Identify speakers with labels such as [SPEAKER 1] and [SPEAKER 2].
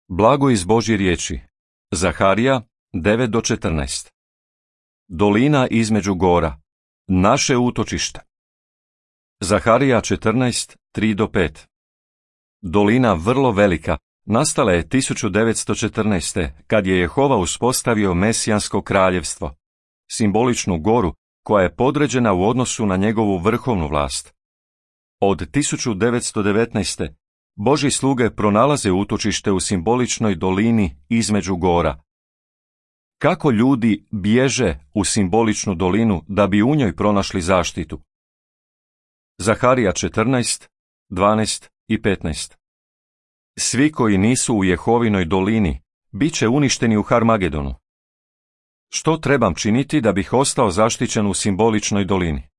[SPEAKER 1] Blago iz Božje riječi. Zaharija 9-14. Dolina između gora. Naše utočište. Zaharija 14:3-5. Dolina vrlo velika nastala je 1914. kad je Jehova uspostavio Mesijansko kraljevstvo, simboličnu goru koja je podređena u odnosu na njegovu vrhovnu vlast. Od 1919. Božji sluge pronalaze utočište u simboličnoj dolini između gora. Kako ljudi bježe u simboličnu dolinu da bi u njoj pronašli zaštitu? Zaharija 14:12-15. Svi koji nisu u Jehovinoj dolini bit će uništeni u Harmagedonu. Što trebam činiti da bih ostao zaštićen u simboličnoj dolini?